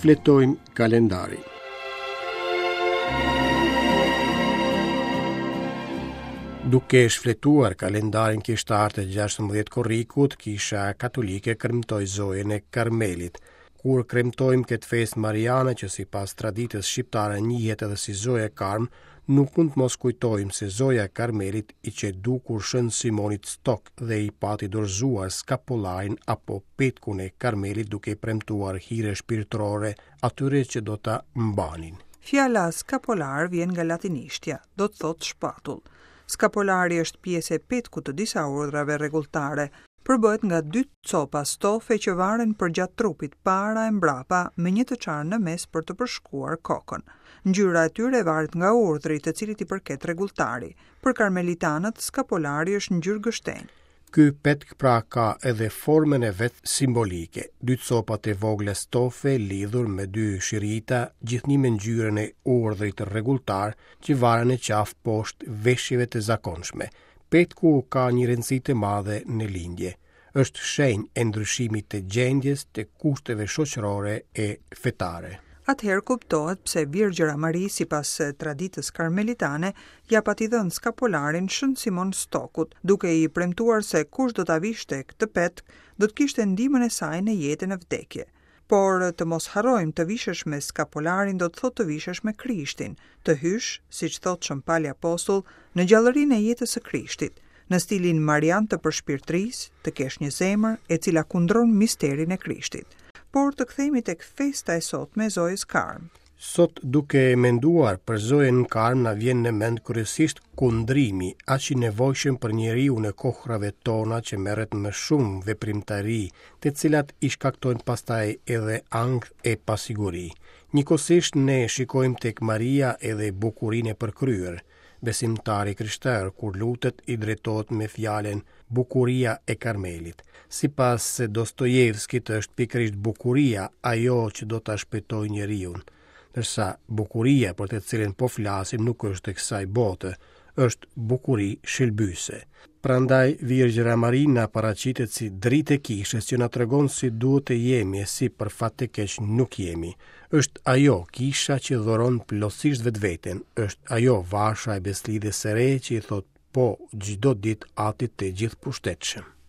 Shfletojmë kalendarin. Duke shfletuar kalendarin kishtar të 16 korrikut, Kisha Katolike kremtoi Zojën e Karmelit. Kur kremtojmë këtë festë mariane që sipas traditës shqiptare njihet edhe si Zoja e Karm, nuk mund të mos kujtojmë se Zoja e Karmelit i qe dukur Shën Simonit Stok dhe i pati dorëzuar skapolarin apo petkun e Karmelit duke i premtuar hire shpirtërore atyre që do ta mbanin. Fjala skapolar vjen nga latinishtja, do të thotë shpatull. Skapolari është pjesë e petkut të disa urdhrave rregulltare, Përbëhet nga dy copa stofe që varen përgjatë trupit para e mbrapa me një të çarë në mes për të përshkuar kokën. Ngjyra e tyre varet nga urdhri të cilit i përket rregulltari. Për karmelitanët, skapolari është ngjyrë gështenjë. Ky petk pra ka edhe formën e vet simbolike, dy copa të vogla stofe lidhur me dy shirita, gjithnjë me ngjyrën e urdhrit rregulltar që varen në qafë poshtë veshjeve të zakonshme. Petku ka një rëndësi të madhe në lindje. Është shenjë e ndryshimit të gjendjes, të kushteve shoqërore e fetare. Atëherë kuptohet pse Virgjëra Mari, sipas traditës karmelitane, ia pati dhënë skapolarin Shën Simon Stokut, duke i premtuar se kush do ta vishte këtë petk, do të kishte ndihmën e saj në jetë e në vdekje. Por të mos harrojmë, të vishesh me skapolarin do të thotë të vishesh me Krishtin, të hysh, siç thotë Shën Pali Apostull, në gjallërinë e jetës së Krishtit, në stilin marian të përshpirtërisë, të kesh një zemër e cila kundron misterin e Krishtit. Por të kthehemi tek festa e sotme e Zojës Karm. Sot duke menduar për Zojën Karm na vjen në mend kryesisht kundrimi, aq i nevojshëm për njeriun e kohërave tona që merret me shumë veprimtari, të cilat i shkaktojnë pastaj edhe ankth e pasiguri. Njëkohësisht ne shikojmë tek Maria edhe bukurinë e përkryer. Besimtari i krishterë kur lutet i drejtohet me fjalën Bukuria e Karmelit. Sipas Dostojevskit është pikërisht bukuria ajo që do ta shpëtojë njeriun. Ndërsa bukuria për të cilën po flasim nuk është e kësaj bote, është bukuri shëlbyese. Prandaj Virgjëra Mari na paraqitet si dritë e kishës që na tregon si duhet të jemi e si për fat të keq nuk jemi. Është ajo kisha që dhuron plotësisht vetveten, është ajo vasha e besëlidhjes së re që i thotë Po, çdo ditë Atit të Gjithëpushtetshëm.